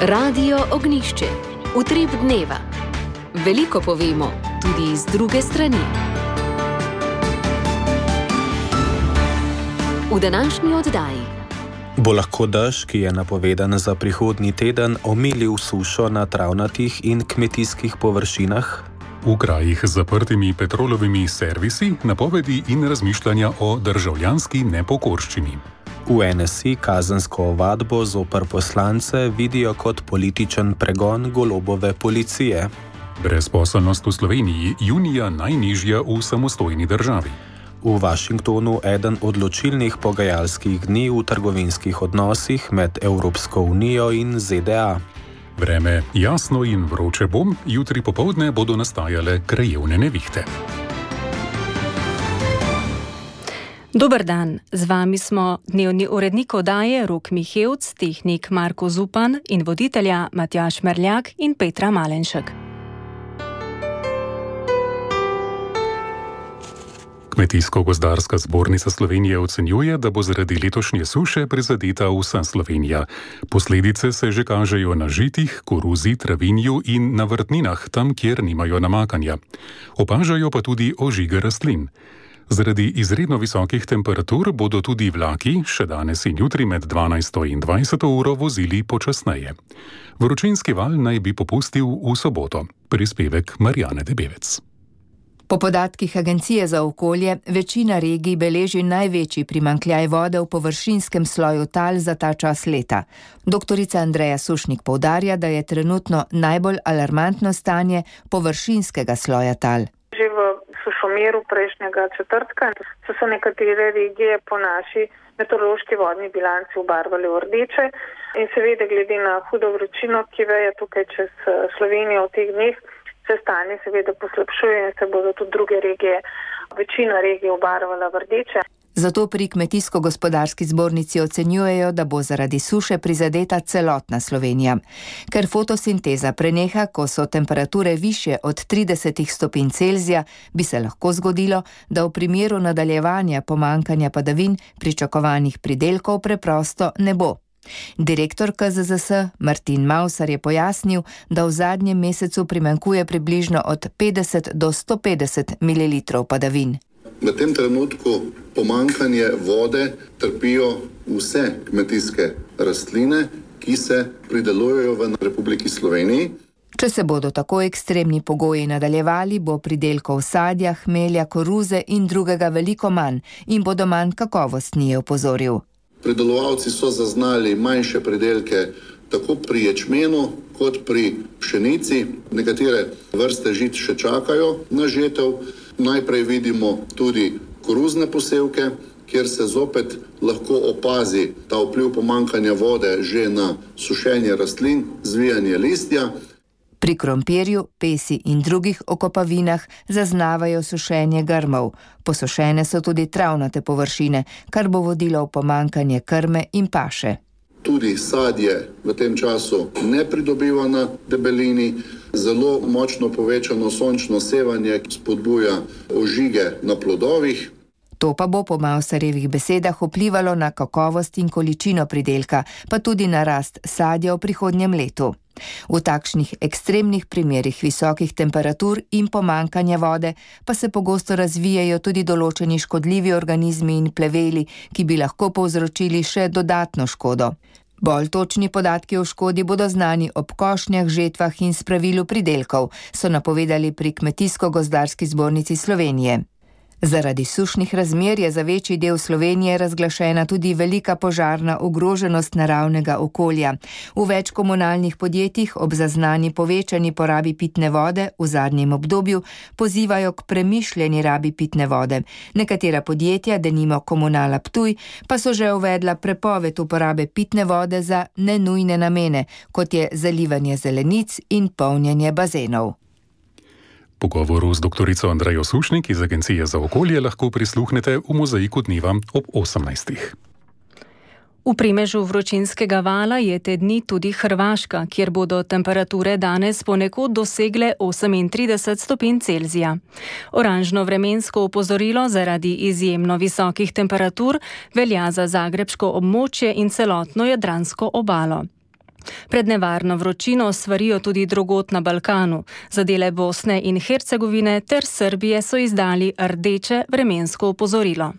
Radio Ognjišče. Utrip dneva. Veliko povemo, tudi iz druge strani. V današnji oddaji. Bo lahko dež, ki je napovedan za prihodnji teden, omilil sušo na travnatih in kmetijskih površinah? V krajih z zaprtimi petrolovimi servisi napovedi in razmišljanja o državljanski nepokorščini. V NSI kazensko ovadbo zoper poslance vidijo kot političen pregon Golobove policije. Brezposelnost v Sloveniji junija najnižja v samostojni državi. V Washingtonu eden odločilnih pogajalskih dni v trgovinskih odnosih med Evropsko unijo in ZDA. Vreme jasno in vroče bo, jutri popoldne bodo nastajale krajevne nevihte. Dober dan, z vami smo dnevni urednik oddaje Rok Mihevc, tehnik Marko Zupan in voditelja Matjaž Merljak in Petra Malenšek. Kmetijsko-gozdarska zbornica Slovenije ocenjuje, da bo zaradi letošnje suše prizadeta vsa Slovenija. Posledice se že kažejo na žitih, koruzi, travinju in na vrtninah, tam, kjer nimajo namakanja. Opažajo pa tudi ožige rastlin. Zaradi izredno visokih temperatur bodo tudi vlaki še danes in jutri med 12. in 20. uro vozili počasneje. Vročinski val naj bi popustil v soboto. Prispevek Marjane Debevec. Po podatkih Agencije za okolje, večina regij beleži največji primanjkljaj vode v površinskem sloju tal za ta čas leta. Doktorica Andreja Sušnik poudarja, da je trenutno najbolj alarmantno stanje površinskega sloja tal. Že v sušomeru prejšnjega četrtka so se nekatere regije po naši meteorološki vodni bilanci obarvale v rdeče in seveda glede na hudo vročino, ki veje tukaj čez Slovenijo v teh dneh, se stanje seveda poslabšuje in se bodo tudi druge regije, večina regij obarvala v rdeče. Zato pri Kmetijsko-gospodarski zbornici ocenjujejo, da bo zaradi suše prizadeta celotna Slovenija. Ker fotosinteza preneha, ko so temperature višje od 30 stopinj Celzija, bi se lahko zgodilo, da v primeru nadaljevanja pomanjkanja padavin pričakovanih pridelkov preprosto ne bo. Direktor KZZS Martin Mavsar je pojasnil, da v zadnjem mesecu primanjkuje približno od 50 do 150 ml padavin. V tem trenutku pomanjkanje vode trpijo vse kmetijske rastline, ki se pridelujejo v Republiki Sloveniji. Če se bodo tako ekstremni pogoji nadaljevali, bo pridelkov sadja, hmelja, koruze in drugega veliko manj in bodo manj kakovostni, je opozoril. Pridelovalci so zaznali manjše pridelke tako pri ječmenu kot pri pšenici. Nekatere vrste žit še čakajo na žetev. Najprej vidimo tudi koruzne posevke, kjer se zopet lahko opazi ta vpliv pomanjkanja vode že na sušenje rastlin, zvijanje listja. Pri krompirju, pesi in drugih okopavinah zaznavajo sušenje grmov. Posušene so tudi travnate površine, kar bo vodilo v pomanjkanje krme in paše. Tudi sadje v tem času ne pridobiva na debelini. Zelo močno povečano sončno sevanje spodbuja ožige na plodovih. To pa bo po Mavsarjevih besedah vplivalo na kakovost in količino pridelka, pa tudi na rast sadja v prihodnjem letu. V takšnih ekstremnih primerih visokih temperatur in pomanjkanja vode pa se pogosto razvijajo tudi določeni škodljivi organizmi in pleveli, ki bi lahko povzročili še dodatno škodo. Bolj točni podatki o škodi bodo znani ob košnjah, žetvah in spravilu pridelkov, so napovedali pri Kmetijsko-gozdarski zbornici Slovenije. Zaradi sušnih razmer je za večji del Slovenije razglašena tudi velika požarna ogroženost naravnega okolja. V več komunalnih podjetjih ob zaznani povečani porabi pitne vode v zadnjem obdobju pozivajo k premišljeni rabi pitne vode. Nekatera podjetja, denimo Komunala Ptuj, pa so že uvedla prepoved uporabe pitne vode za nenujne namene, kot je zalivanje zelenic in polnjenje bazenov. Pogovoru z doktorico Andrejo Sušnik iz Agencije za okolje lahko prisluhnete v Mozaiku dneva ob 18. V primežu vročinskega vala je te dni tudi Hrvaška, kjer bodo temperature danes ponekod dosegle 38 stopinj Celzija. Oranžno vremensko opozorilo zaradi izjemno visokih temperatur velja za zagrebško območje in celotno jadransko obalo. Pred nevarno vročino svarijo tudi drugod na Balkanu. Za dele Bosne in Hercegovine ter Srbije so izdali rdeče vremensko opozorilo.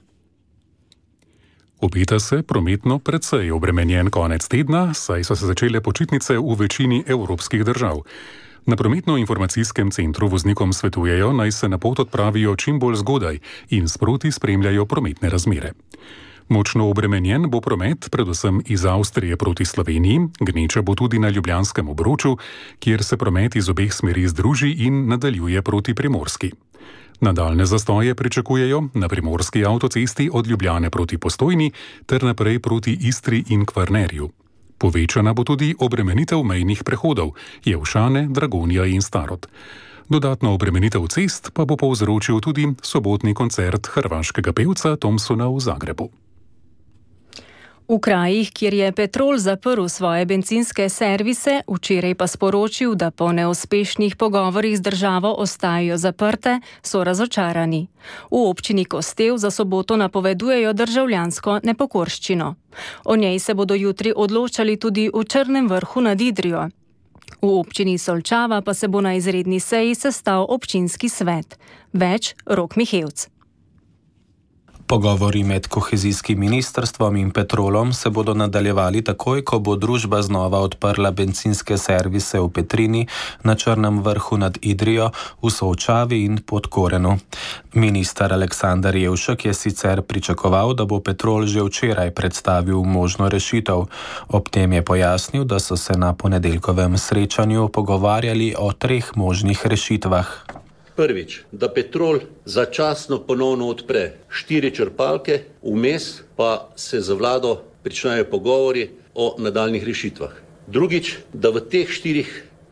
Obeta se prometno precej obremenjen konec tedna, saj so se začele počitnice v večini evropskih držav. Na prometno-informacijskem centru voznikom svetujejo, naj se na pot odpravijo čim bolj zgodaj in sproti spremljajo prometne razmere. Močno obremenjen bo promet predvsem iz Avstrije proti Sloveniji, gneča bo tudi na Ljubljanskem obroču, kjer se promet iz obeh smeri združi in nadaljuje proti Primorski. Nadaljne zastoje pričakujejo na primorski avtocesti od Ljubljane proti Postojni ter naprej proti Istri in Kvarnerju. Povečana bo tudi obremenitev mejnih prehodov Jelšane, Dragonja in Starod. Dodatno obremenitev cest pa bo povzročil tudi sobotni koncert hrvaškega pevca Thompsona v Zagrebu. V krajih, kjer je Petrol zaprl svoje bencinske servise, včeraj pa sporočil, da po neuspešnih pogovorih z državo ostajajo zaprte, so razočarani. V občini Kostev za soboto napovedujejo državljansko nepokorščino. O njej se bodo jutri odločali tudi v Črnem Vrhu nad Idrijo. V občini Solčava pa se bo na izredni seji sestal občinski svet. Več Rok Mihevc. Pogovori med kohezijskim ministrstvom in Petrolom se bodo nadaljevali takoj, ko bo družba znova odprla bencinske servise v Petrini, na Črnem Vrhu nad Idrijo, v Solčavi in Podkorenu. Minister Aleksander Jevšek je sicer pričakoval, da bo Petrol že včeraj predstavil možno rešitev. Ob tem je pojasnil, da so se na ponedeljkovem srečanju pogovarjali o 3 možnih rešitvah. Prvič, da Petrol začasno ponovno odpre 4 črpalke, vmes pa se za vlado pričnejo pogovori o nadaljnih rešitvah. Drugič, da v teh 4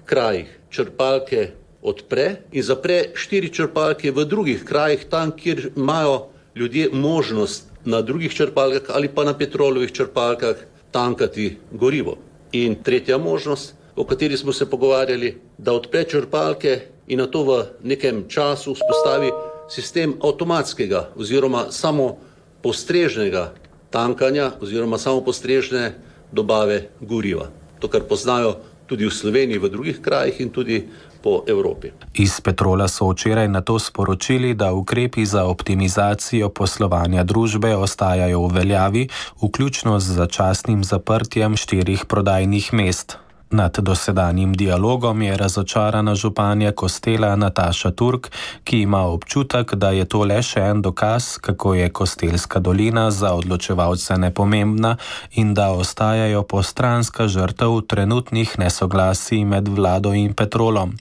krajih črpalke odpre in zapre 4 črpalke v drugih krajih, tam, kjer imajo ljudje možnost na drugih črpalkah ali pa na Petrolovih črpalkah tankati gorivo. In tretja možnost, o kateri smo se pogovarjali, da odpre črpalke in na to v nekem času vzpostavi sistem avtomatskega oziroma samo postrežnega tankanja oziroma samo postrežne dobave goriva. To, kar poznajo tudi v Sloveniji, v drugih krajih in tudi po Evropi. Iz Petrola so včeraj na to sporočili, da ukrepi za optimizacijo poslovanja družbe ostajajo v veljavi, vključno z začasnim zaprtjem 4 prodajnih mest. Nad dosedanjim dialogom je razočarana županja Kostela Nataša Turk, ki ima občutek, da je to le še en dokaz, kako je Kostelska dolina za odločevalce nepomembna in da ostajajo postranska žrtev trenutnih nesoglasij med vlado in Petrolom.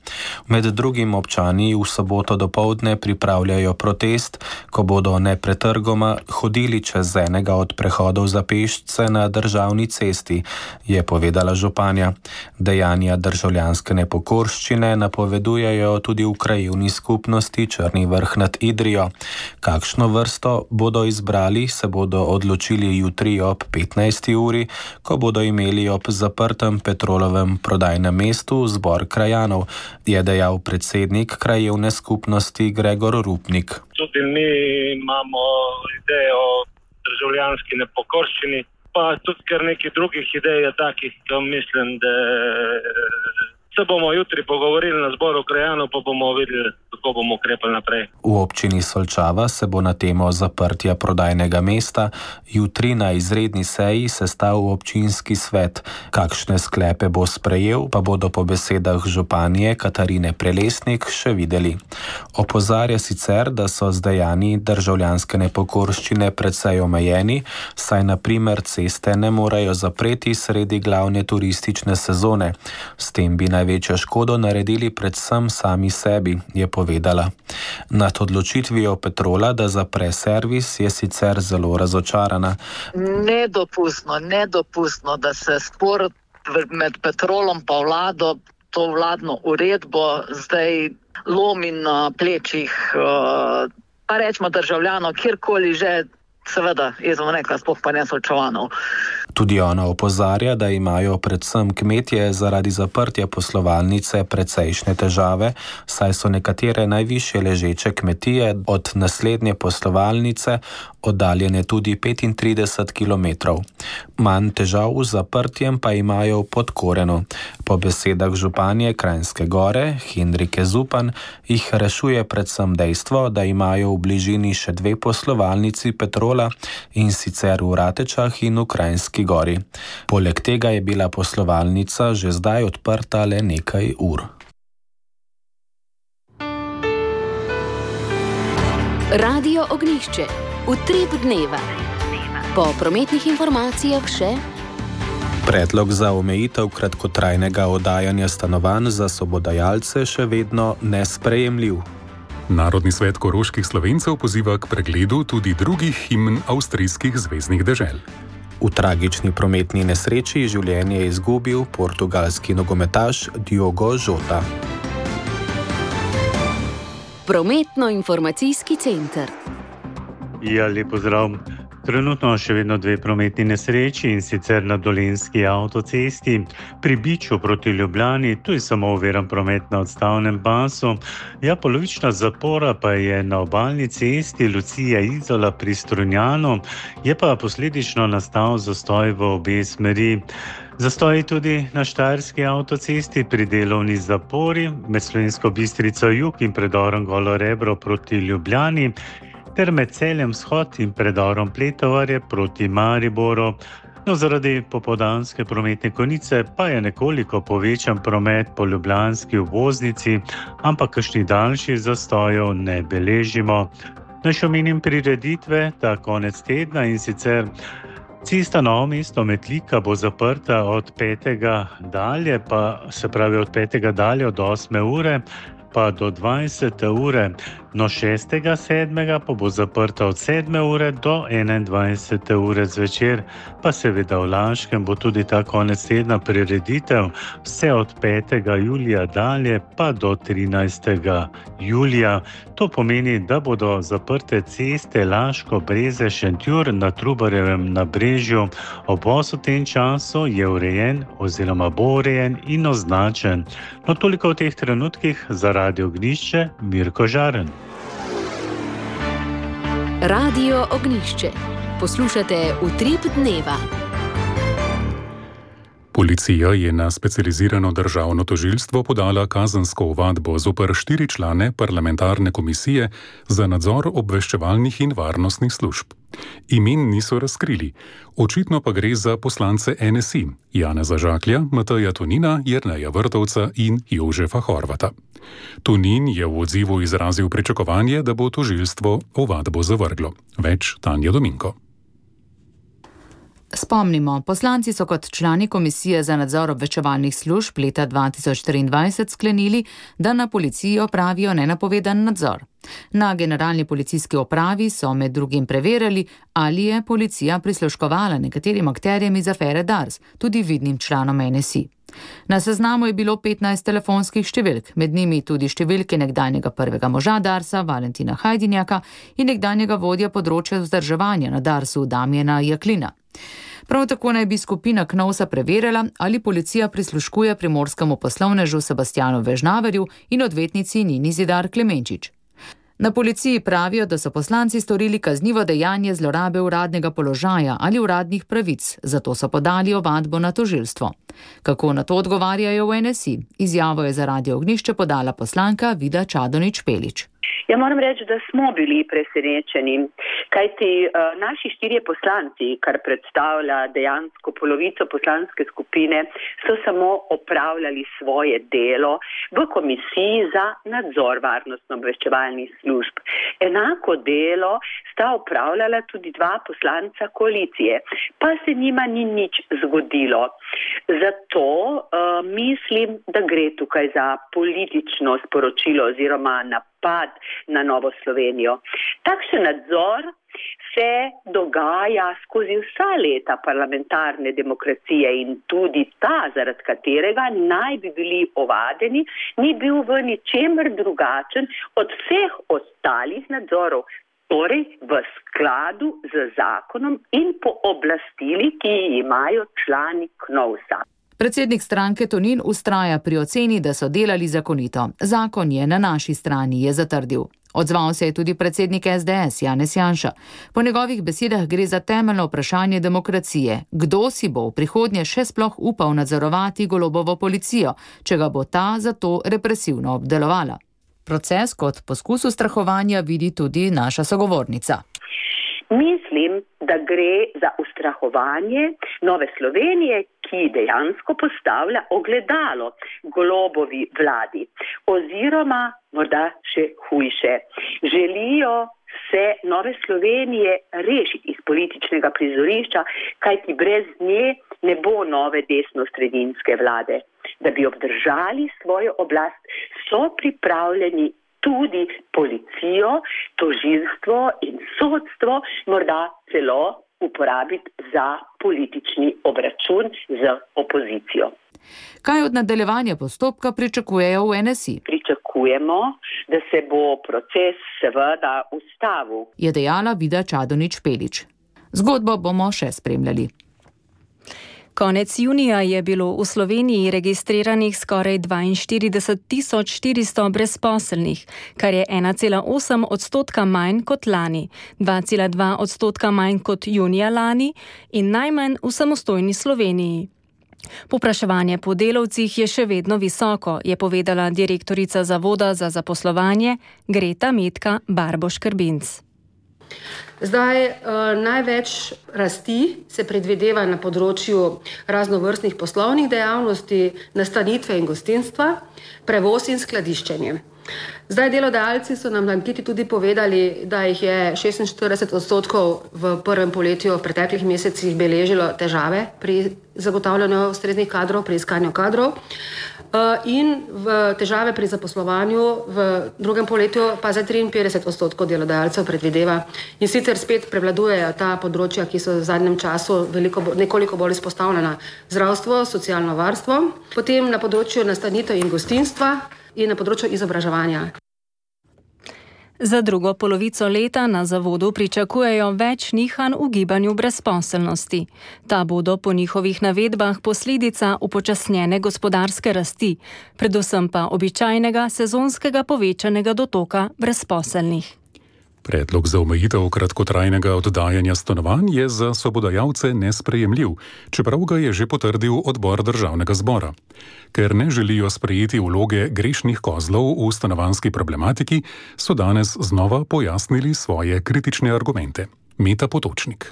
Med drugim občani v soboto dopoldne pripravljajo protest, ko bodo nepretrgoma hodili čez enega od prehodov za pešce na državni cesti, je povedala županja. Dejanja državljanske nepokorščine napovedujejo tudi v krajevni skupnosti Črni Vrh nad Idrijo. Kakšno vrsto bodo izbrali, se bodo odločili jutri ob 15. uri, ko bodo imeli ob zaprtem Petrolovem prodajnem mestu zbor krajanov, je dejal predsednik krajevne skupnosti Gregor Rupnik. Tudi mi imamo idejo o državljanski nepokorščini, pa tudi kar nekaj drugih idej je takih, ki mislim, da se bomo jutri pogovorili na zboru krajanov, pa bomo videli, kako bomo ukrepali naprej. V občini Solčava se bo na temo zaprtja prodajnega mesta jutri na izredni seji sestal občinski svet. Kakšne sklepe bo sprejel, pa bodo po besedah županje Katarine Prelesnik še videli. Opozarja sicer, da so z dejanji državljanske nepokorščine precej omejeni, saj na primer ceste ne morejo zapreti sredi glavne turistične sezone. S tem bi največjo škodo naredili predvsem sami sebi, je povedala. Nad odločitvijo Petrola, da zapre servis, je sicer zelo razočarana. Nedopustno, da se spor med Petrolom pa vlado, to vladno uredbo zdaj lomi na plečih, pa rečemo državljanov, kjerkoli že, seveda, jaz bom rekla, sploh pa ne Solčavanov. Tudi ona opozarja, da imajo predvsem kmetje zaradi zaprtja poslovalnice precejšnje težave, saj so nekatere najvišje ležeče kmetije od naslednje poslovalnice oddaljene tudi 35 km. Manj težav z zaprtjem pa imajo v Podkorenu. Po besedah županje Kranjske Gore, Henrike Zupan, jih rešuje predvsem dejstvo, da imajo v bližini še 2 poslovalnici Petrola, in sicer v Ratečah in v Kranjski Gori. Poleg tega je bila poslovalnica že zdaj odprta le nekaj ur. Radio Ognjišče. Utrip dneva. Po prometnih informacijah še predlog za omejitev kratkotrajnega oddajanja stanovanj za sobodajalce še vedno nesprejemljiv. Narodni svet koroških Slovencev poziva k pregledu tudi drugih himen avstrijskih zveznih dežel. V tragični prometni nesreči življenje je izgubil portugalski nogometaš Diogo Jota. Prometno-informacijski center. Ja, lep pozdrav. Trenutno še vedno 2 prometni nesreči, in sicer na Dolenjski avtocesti pri Biču proti Ljubljani, tu je samo oviran promet na odstavnem pasu. Ja, polovična zapora pa je na obalni cesti Lucija-Izola pri Strunjanu, je pa posledično nastal zastoj v obe smeri. Zastoj tudi na Štajerski avtocesti pri delovni zapori med Slovensko Bistrico jug in predorom Golo Rebro proti Ljubljani, ter med Celjem vzhod in predorom Pletovarje proti Mariboru. No, zaradi popoldanske prometne konice pa je nekoliko povečan promet po ljubljanski obvoznici, ampak kakšnih daljših zastojev ne beležimo. Naj še omenim prireditve ta konec tedna, in sicer cesta Novo Mesto-Metlika bo zaprta od 5. dalje, se pravi od 5. dalje od 8. ure pa do 20. ure. No, 6.7. pa bo zaprta od 7. ure do 21. ure zvečer, pa seveda v Laškem bo tudi ta konec tedna prireditev, vse od 5. julija dalje pa do 13. julija. To pomeni, da bodo zaprte ceste Laško, Breze, Šentjur na Trubarjevem nabrežju. Obvoz v tem času je urejen oziroma bo urejen in označen. No, toliko v teh trenutkih. Za Radio Ognjišče, Mirko Žaren. Radio Ognjišče. Poslušate Utrip dneva. Policija je na specializirano državno tožilstvo podala kazensko ovadbo zoper 4 člane parlamentarne komisije za nadzor obveščevalnih in varnostnih služb. Imen niso razkrili, očitno pa gre za poslance NSI, Janeza Žaklja, Mateja Tonina, Jerneja Vrtovca in Jožefa Horvata. Tonin je v odzivu izrazil pričakovanje, da bo tožilstvo ovadbo zavrglo. Več Tanja Dominko. Spomnimo, poslanci so kot člani Komisije za nadzor obveščevalnih služb leta 2023 sklenili, da na policiji opravijo nenapovedan nadzor. Na generalni policijski upravi so med drugim preverjali, ali je policija prisluškovala nekaterim akterjem iz afere Dars, tudi vidnim članom NSI. Na seznamu je bilo 15 telefonskih številk, med njimi tudi številke nekdanjega prvega moža Darsa, Valentina Hajdinjaka, in nekdanjega vodja področja vzdrževanja na Darsu, Damjana Jaklina. Prav tako naj bi skupina Knovsa preverjala, ali policija prisluškuje primorskemu poslovnežu Sebastjanu Vežnaverju in odvetnici Nini Zidar Klemenčič. Na policiji pravijo, da so poslanci storili kaznivo dejanje zlorabe uradnega položaja ali uradnih pravic, zato so podali ovadbo na tožilstvo. Kako na to odgovarjajo v NSI? Izjavo je za Radio Ognjišče podala poslanka Vida Čadonič-Pelič. Ja, moram reči, da smo bili presenečeni, kajti naši 4 poslanci, kar predstavlja dejansko polovico poslanske skupine, so samo opravljali svoje delo v Komisiji za nadzor varnostno-obveščevalnih služb. Enako delo sta opravljala tudi 2 poslanca koalicije, pa se njima ni nič zgodilo. Zato mislim, da gre tukaj za politično sporočilo oziroma napad na Novo Slovenijo. Takšen nadzor se dogaja skozi vsa leta parlamentarne demokracije in tudi ta, zaradi katerega naj bi bili ovadeni, ni bil v ničemer drugačen od vseh ostalih nadzorov, torej v skladu z zakonom in pooblastili, ki imajo člani Knovsa. Predsednik stranke Tonin ustraja pri oceni, da so delali zakonito. Zakon je na naši strani, je zatrdil. Odzval se je tudi predsednik SDS Janez Janša. Po njegovih besedah gre za temeljno vprašanje demokracije. Kdo si bo v prihodnje še sploh upal nadzorovati Golobovo policijo, če ga bo ta zato represivno obdelovala? Proces kot poskus ustrahovanja vidi tudi naša sogovornica. Mislim, da gre za ustrahovanje Nove Slovenije, ki dejansko postavlja ogledalo Golobovi vladi. Oziroma, morda še hujše, želijo se Nove Slovenije rešiti iz političnega prizorišča, kajti brez nje ne bo nove desno-sredinske vlade. Da bi obdržali svojo oblast, so pripravljeni tudi policijo, tožilstvo in sodstvo morda celo uporabiti za politični obračun z opozicijo. Kaj od nadaljevanja postopka pričakujejo v NSI? Pričakujemo, da se bo proces seveda ustavil, je dejala Vida Čadonič-Špelič. Zgodbo bomo še spremljali. Konec junija je bilo v Sloveniji registriranih skoraj 42.400 brezposelnih, kar je 1,8% manj kot lani, 2,2% manj kot junija lani in najmanj v samostojni Sloveniji. Povpraševanje po delavcih je še vedno visoko, je povedala direktorica Zavoda za zaposlovanje Greta Metka Barboš-Krbinc. Zdaj, največ rasti se predvideva na področju raznovrstnih poslovnih dejavnosti, nastanitve in gostinstva, prevoz in skladiščenje. Zdaj, delodajalci so nam na anketi tudi povedali, da jih je 46% v prvem polletju v preteklih mesecih beležilo težave pri zagotavljanju ustreznih kadrov, pri iskanju kadrov. In v težave pri zaposlovanju v drugem polletju pa za 53% delodajalcev predvideva. In sicer spet prevladujejo ta področja, ki so v zadnjem času nekoliko bolj izpostavljena: zdravstvo, socialno varstvo, potem na področju nastanitev in gostinstva in na področju izobraževanja. Za drugo polovico leta na zavodu pričakujejo več nihanj v gibanju brezposelnosti. Ta bodo po njihovih navedbah posledica upočasnjene gospodarske rasti, predvsem pa običajnega sezonskega povečanega dotoka brezposelnih. Predlog za omejitev kratkotrajnega oddajanja stanovanj je za sobodajalce nesprejemljiv, čeprav ga je že potrdil odbor državnega zbora. Ker ne želijo sprejeti vloge grešnih kozlov v stanovanjski problematiki, so danes znova pojasnili svoje kritične argumente. Meta Potočnik.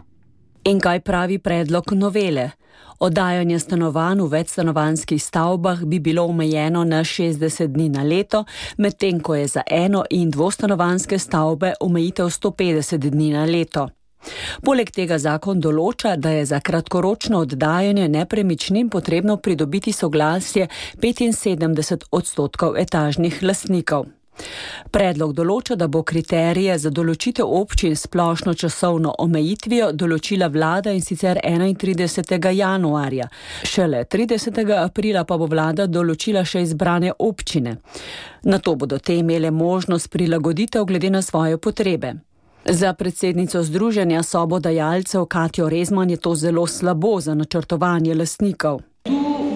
In kaj pravi predlog novele? Oddajanje stanovanj v večstanovanjskih stavbah bi bilo omejeno na 60 dni na leto, medtem ko je za eno- in dvostanovanjske stavbe omejitev 150 dni na leto. Poleg tega zakon določa, da je za kratkoročno oddajanje nepremičnin potrebno pridobiti soglasje 75% etažnih lastnikov. Predlog določa, da bo kriterije za določitev občin splošno časovno omejitvijo določila vlada, in sicer 31. januarja. Šele 30. aprila pa bo vlada določila še izbrane občine. Nato bodo te imele možnost prilagoditev glede na svoje potrebe. Za predsednico Združenja sobodajalcev Katjo Rezman je to zelo slabo za načrtovanje lastnikov.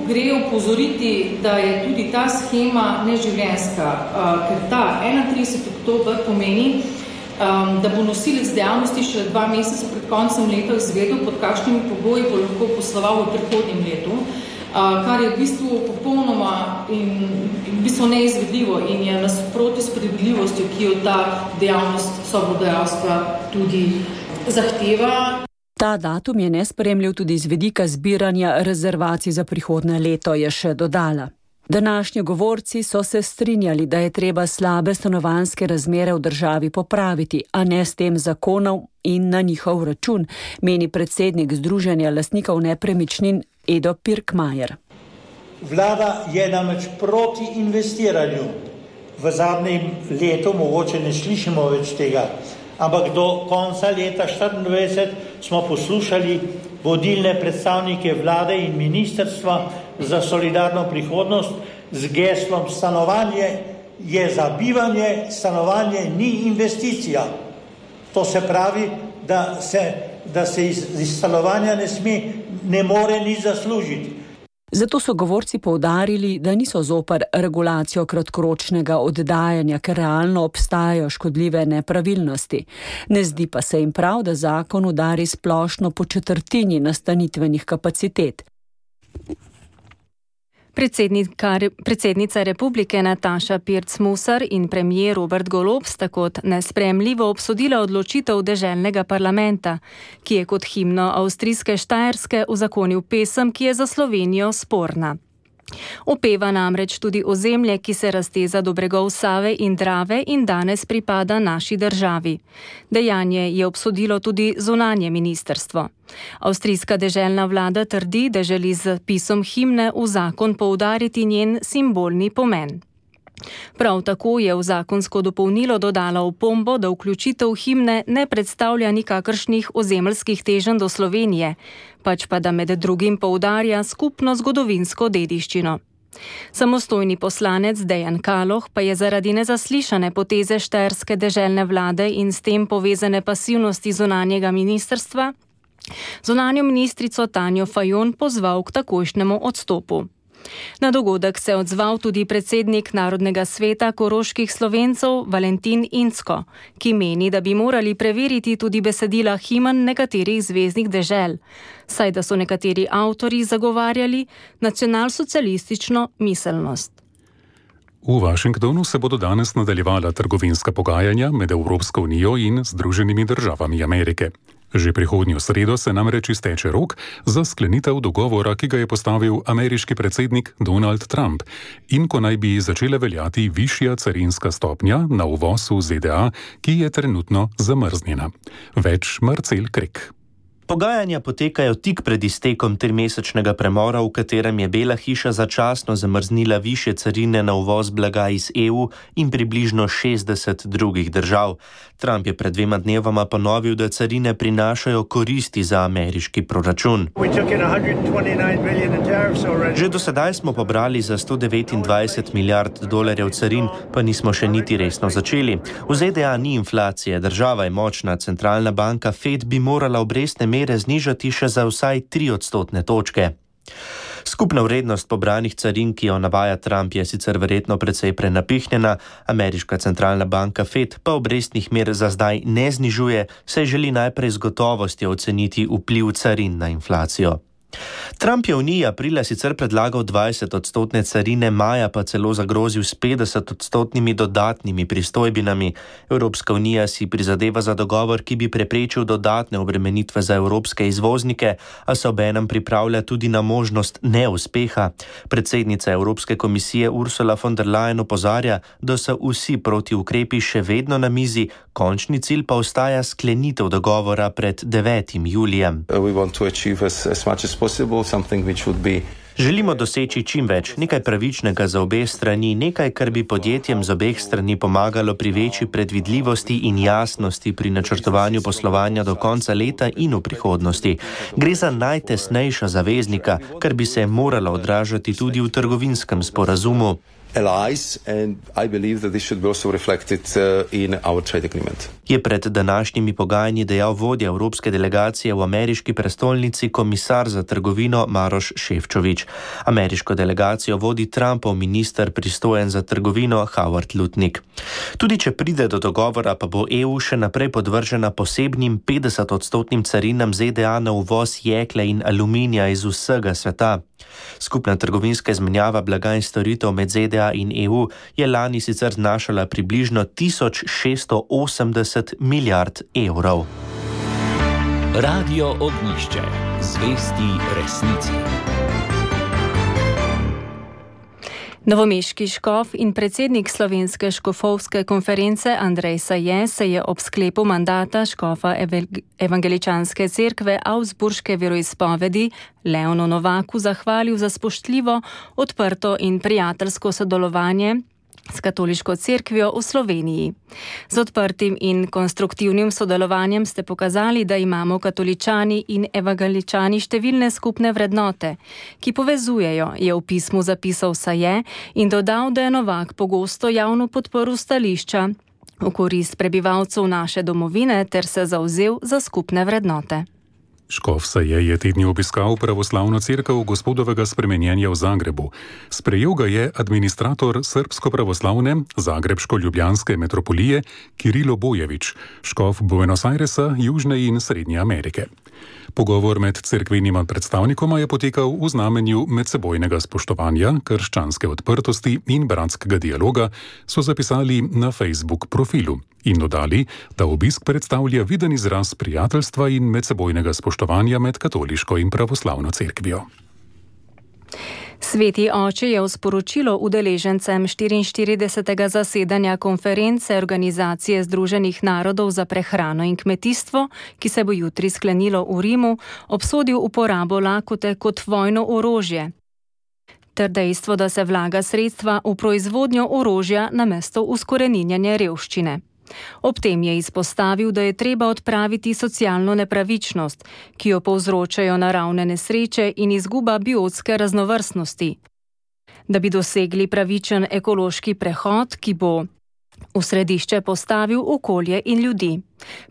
Gre opozoriti, da je tudi ta shema neživljenjska, ker ta 31. oktober pomeni, da bo nosilec dejavnosti še 2 meseca pred koncem leta izvedel, pod kakšnimi pogoji bo lahko posloval v prihodnjem letu, kar je v bistvu popolnoma in v bistvu neizvedljivo in je nasproti s predvidljivostjo, ki jo ta dejavnost sobodajalstva tudi zahteva. Ta datum je nesprejemljiv tudi z vidika zbiranja rezervacij za prihodnje leto, je še dodala. Današnji govorci so se strinjali, da je treba slabe stanovanjske razmere v državi popraviti, a ne s tem zakonom in na njihov račun, meni predsednik Združenja lastnikov nepremičnin Edo Pirkmajer. Vlada je namreč proti investiranju. V zadnjem letu mogoče ne slišimo več tega, ampak do konca leta 2024 smo poslušali vodilne predstavnike vlade in ministrstva za solidarno prihodnost z geslom: stanovanje je za bivanje, stanovanje ni investicija. To se pravi, da se iz stanovanja ne more nič zaslužiti. Zato so govorci poudarili, da niso zoper regulacijo kratkoročnega oddajanja, ker realno obstajajo škodljive nepravilnosti. Ne zdi pa se jim prav, da zakon udari splošno po četrtini nastanitvenih kapacitet. Predsednica republike Nataša Pirc-Musar in premijer Robert Golob sta kot nesprejemljivo obsodila odločitev deželnega parlamenta, ki je kot himno avstrijske Štajerske uzakonil pesem, ki je za Slovenijo sporna. Opeva namreč tudi ozemlje, ki se razteza do bregov Save in Drave in danes pripada naši državi. Dejanje je obsodilo tudi zunanje ministrstvo. Avstrijska deželna vlada trdi, da želi z zapisom himne v zakon poudariti njen simbolni pomen. Prav tako je v zakonsko dopolnilo dodala opombo, da vključitev himne ne predstavlja nikakršnih ozemeljskih teženj do Slovenije, pač pa da med drugim poudarja skupno zgodovinsko dediščino. Samostojni poslanec Dejan Kaloh pa je zaradi nezaslišane poteze štajerske deželne vlade in s tem povezane pasivnosti zunanjega ministrstva zunanjo ministrico Tanjo Fajon pozval k takojšnjemu odstopu. Na dogodek se je odzval tudi predsednik Narodnega sveta koroških Slovencev Valentin Incko, ki meni, da bi morali preveriti tudi besedila himen nekaterih zveznih dežel, saj da so nekateri avtorji zagovarjali nacionalsocialistično miselnost. V Washingtonu se bodo danes nadaljevala trgovinska pogajanja med Evropsko unijo in Združenimi državami Amerike. Že prihodnjo sredo se namreč izteče rok za sklenitev dogovora, ki ga je postavil ameriški predsednik Donald Trump in ko naj bi začela veljati višja carinska stopnja na uvoz v ZDA, ki je trenutno zamrznjena. Več Marcel Krek. Pogajanja potekajo tik pred iztekom 3-mesečnega premora, v katerem je Bela hiša začasno zamrznila višje carine na uvoz blaga iz EU in približno 60 drugih držav. Trump je pred 2 dnevoma ponovil, da carine prinašajo koristi za ameriški proračun. Že do sedaj smo pobrali za $129 milijard carin, pa nismo še niti resno začeli. V ZDA ni inflacije, država je močna, centralna banka Fed bi morala obrestne mere znižati še za vsaj 3 odstotne točke. Skupna vrednost pobranih carin, ki jo navaja Trump, je sicer verjetno precej prenapihnjena, ameriška centralna banka Fed pa obrestnih mer za zdaj ne znižuje, saj želi najprej z gotovostjo oceniti vpliv carin na inflacijo. Trump je Uniji aprila sicer predlagal 20-odstotne carine, maja pa celo zagrozil s 50-odstotnimi dodatnimi pristojbinami. Evropska unija si prizadeva za dogovor, ki bi preprečil dodatne obremenitve za evropske izvoznike, a se obenem pripravlja tudi na možnost neuspeha. Predsednica Evropske komisije Ursula von der Leyen opozarja, da so vsi protiukrepi še vedno na mizi, končni cilj pa ostaja sklenitev dogovora pred 9. julijem. Želimo doseči čim več, nekaj pravičnega za obe strani, nekaj, kar bi podjetjem z obeh strani pomagalo pri večji predvidljivosti in jasnosti pri načrtovanju poslovanja do konca leta in v prihodnosti. Gre za najtesnejša zaveznika, kar bi se moralo odražati tudi v trgovinskem sporazumu. Je pred današnjimi pogajanji dejal vodja evropske delegacije v ameriški prestolnici komisar za trgovino Maroš Šefčovič. Ameriško delegacijo vodi Trumpov minister pristojen za trgovino Howard Lutnick. Tudi če pride do dogovora, pa bo EU še naprej podvržena posebnim 50-odstotnim carinam ZDA na uvoz jekla in aluminija iz vsega sveta. Skupna trgovinska izmenjava blaga in storitev med ZDA in EU je lani sicer znašala približno 1680 milijard evrov. Radio Ognjišče. Zvesti resnici. Novomeški škof in predsednik Slovenske škofovske konference Andrej Saje se je ob sklepu mandata škofa evangeličanske cerkve Augsburške veroizpovedi Leonu Novaku zahvalil za spoštljivo, odprto in prijateljsko sodelovanje s katoliško cerkvijo v Sloveniji. Z odprtim in konstruktivnim sodelovanjem ste pokazali, da imamo katoličani in evangeličani številne skupne vrednote, ki povezujejo, je v pismu zapisal Saje in dodal, da je Novak pogosto javno podprl stališča v korist prebivalcev naše domovine ter se zavzel za skupne vrednote. Škof Saje je te dni obiskal pravoslavno cerkev Gospodovega spremenjenja v Zagrebu. Sprejel ga je administrator srbsko-pravoslavne Zagrebško-ljubljanske metropolije Kirilo Bojevič, škof Buenos Airesa, Južne in Srednje Amerike. Pogovor med cerkvenima predstavnikoma je potekal v znamenju medsebojnega spoštovanja, krščanske odprtosti in bratskega dialoga, so zapisali na Facebook profilu in dodali, da obisk predstavlja viden izraz prijateljstva in medsebojnega spoštovanja med katoliško in pravoslavno cerkvijo. Sveti oče je v sporočilo udeležencem 44. zasedanja konference Organizacije Združenih narodov za prehrano in kmetijstvo, ki se bo jutri sklenilo v Rimu, obsodil uporabo lakote kot vojno orožje ter dejstvo, da se vlaga sredstva v proizvodnjo orožja namesto uskoreninjanja revščine. Ob tem je izpostavil, da je treba odpraviti socialno nepravičnost, ki jo povzročajo naravne nesreče in izguba biotske raznovrstnosti. Da bi dosegli pravičen ekološki prehod, ki bo v središče postavil okolje in ljudi.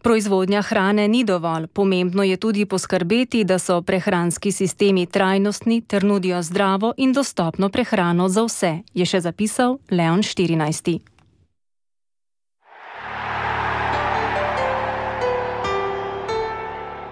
Proizvodnja hrane ni dovolj, pomembno je tudi poskrbeti, da so prehranski sistemi trajnostni ter nudijo zdravo in dostopno prehrano za vse, je še zapisal Leon XIV.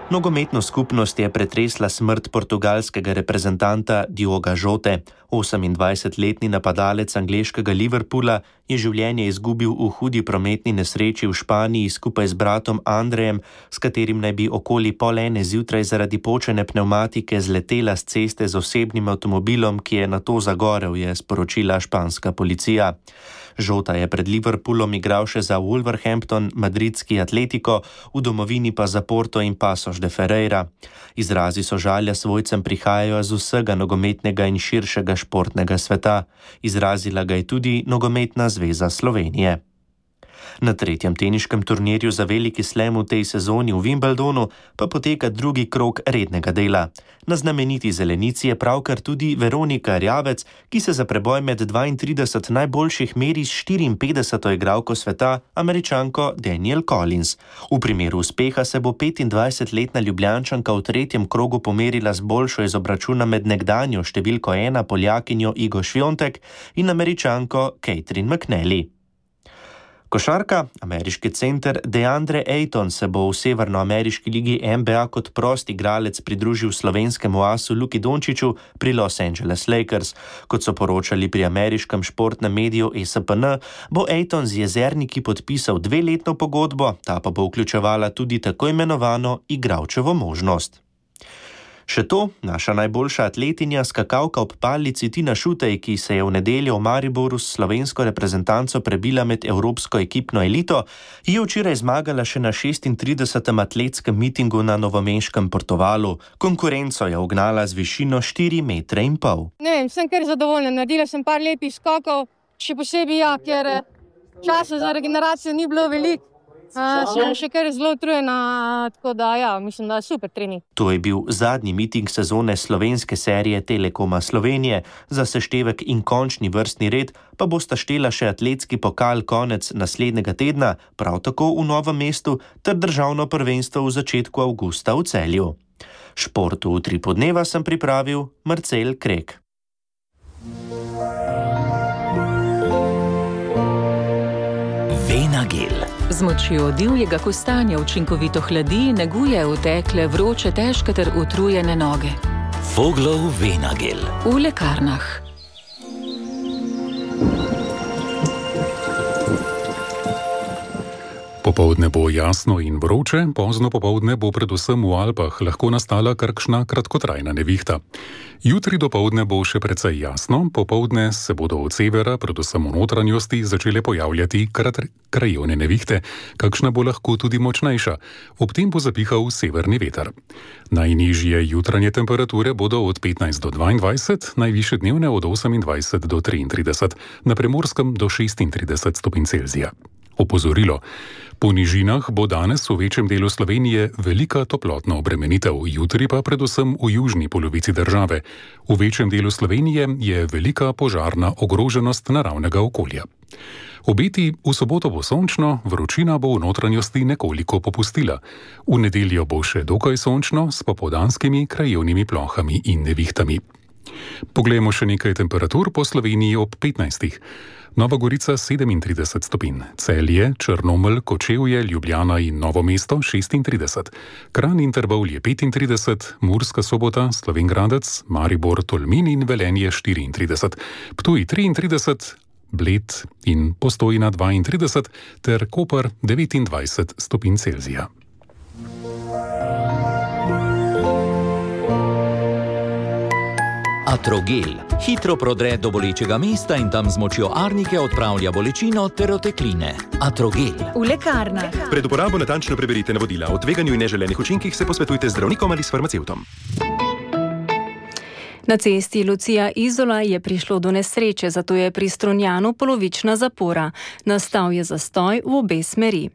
Nogometno skupnost je pretresla smrt portugalskega reprezentanta Dioga Jote. 28-letni napadalec angleškega Liverpoola je življenje izgubil v hudi prometni nesreči v Španiji skupaj z bratom Andrejem, s katerim naj bi okoli 1:30 zjutraj zaradi počene pnevmatike zletela s ceste z osebnim avtomobilom, ki je nato zagorel, je sporočila španska policija. Jota je pred Liverpoolom igral še za Wolverhampton, madridski Atletico, v domovini pa za Porto in Pasos de Ferreira. Izrazi sožalja svojcem prihajajo z vsega nogometnega in širšega športnega sveta. Izrazila ga je tudi Nogometna zveza Slovenije. Na tretjem teniškem turnirju za veliki slam v tej sezoni v Wimbledonu pa poteka drugi krog rednega dela. Na znameniti zelenici je pravkar tudi Veronika Rjavec, ki se za preboj med 32 najboljših meri s 54. igralko sveta, Američanko Danielle Collins. V primeru uspeha se bo 25-letna Ljubljančanka v tretjem krogu pomerila z boljšo iz obračuna med nekdanjo številko 1 Poljakinjo Igo Swiatek in Američanko Catherine McNally. Košarka, ameriški center DeAndre Ayton se bo v severnoameriški ligi NBA kot prost igralec pridružil slovenskemu asu Luki Dončiću pri Los Angeles Lakers. Kot so poročali pri ameriškem športnem mediju ESPN, bo Ayton z Jezerniki podpisal 2-letno pogodbo, ta pa bo vključevala tudi tako imenovano igralčevo možnost. Še to, naša najboljša atletinja, skakalka ob palici Tina Šutej, ki se je v nedeljo v Mariboru s slovensko reprezentanco prebila med evropsko ekipno elito, je včeraj zmagala še na 36. atletskem mitingu na novomeškem Portovalu. Konkurenco je ugnala z višino 4,5 metra. Sem kar zadovoljna. Naredila sem par lepih skokov, še posebej ker časa za regeneracijo ni bilo veliko. Sem še kar zelo utrujena, tako da mislim, da je super trening. To je bil zadnji miting sezone slovenske serije Telekoma Slovenije. Za seštevek in končni vrstni red pa bosta štela še atletski pokal konec naslednjega tedna, prav tako v Novem mestu, ter državno prvenstvo v začetku avgusta v Celju. Športu v 3 podneva sem pripravil Marcel Krek. Venagel. Z močjo divjega kostanja učinkovito hladi, neguje utekle, vroče, težke ter utrujene noge. Voglov Venagel. V lekarnah. Popoldne bo jasno in vroče, pozno popoldne bo predvsem v Alpah lahko nastala kakšna kratkotrajna nevihta. Jutri dopoldne bo še precej jasno, popoldne se bodo od severa, predvsem v notranjosti, začele pojavljati krajevne nevihte, kakšna bo lahko tudi močnejša. Ob tem bo zapihal severni veter. Najnižje jutranje temperature bodo od 15 do 22, najvišje dnevne od 28 do 33, na Primorskem do 36 stopinj Celzija. Opozorilo. Po nižinah bo danes v večjem delu Slovenije velika toplotna obremenitev, jutri pa predvsem v južni polovici države. V večjem delu Slovenije je velika požarna ogroženost naravnega okolja. Obeti: v soboto bo sončno, vročina bo v notranjosti nekoliko popustila. V nedeljo bo še dokaj sončno s popoldanskimi krajevnimi plohami in nevihtami. Poglejmo še nekaj temperatur po Sloveniji ob 15. Nova Gorica 37 stopinj, Celje, Črnomelj, Kočevje, Ljubljana in Novo mesto 36, Kranj in Trbovlje 35, Murska Sobota, Slovenj Gradec, Maribor, Tolmin in Velenje 34, Ptuj 33, Bled in Postojna 32 ter Koper 29 stopinj Celzija. Atrogel hitro prodre do bolečega mesta in tam z močjo arnike odpravlja bolečino ter otekline. Atrogel. V lekarnah. Pred uporabo natančno preberite navodila. O tveganju in neželenih učinkih se posvetujte z zdravnikom ali s farmacevtom. Na cesti Lucija-Izola je prišlo do nesreče, zato je pri Strunjanu polovična zapora. Nastal je zastoj v obe smeri.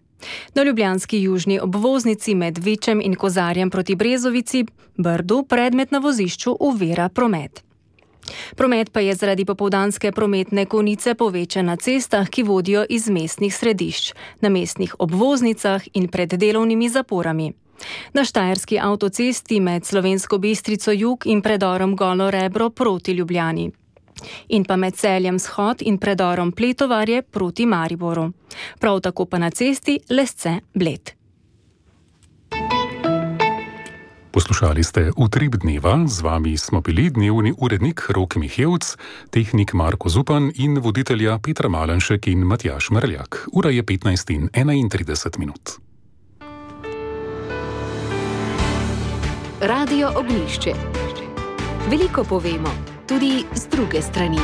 Na ljubljanski južni obvoznici med Vičem in Kozarjem proti Brezovici, Brdu, predmet na vozišču ovira promet. Promet pa je zaradi popoldanske prometne konice povečan na cestah, ki vodijo iz mestnih središč, na mestnih obvoznicah in pred delovnimi zaporami. Na štajerski avtocesti med Slovensko Bistrico jug in predorom Golo Rebro proti Ljubljani. In pa med Celjem Shod in predorom Pletovarje proti Mariboru. Prav tako pa na cesti Lesce-Bled. Poslušali ste Utrip dneva, z vami smo bili dnevni urednik Rok Mihevc, tehnik Marko Zupan in voditelja Petra Malenšek in Matjaž Mrljak. Ura je 15:31. Radio Ognjišče. Veliko povemo, tudi z druge strani.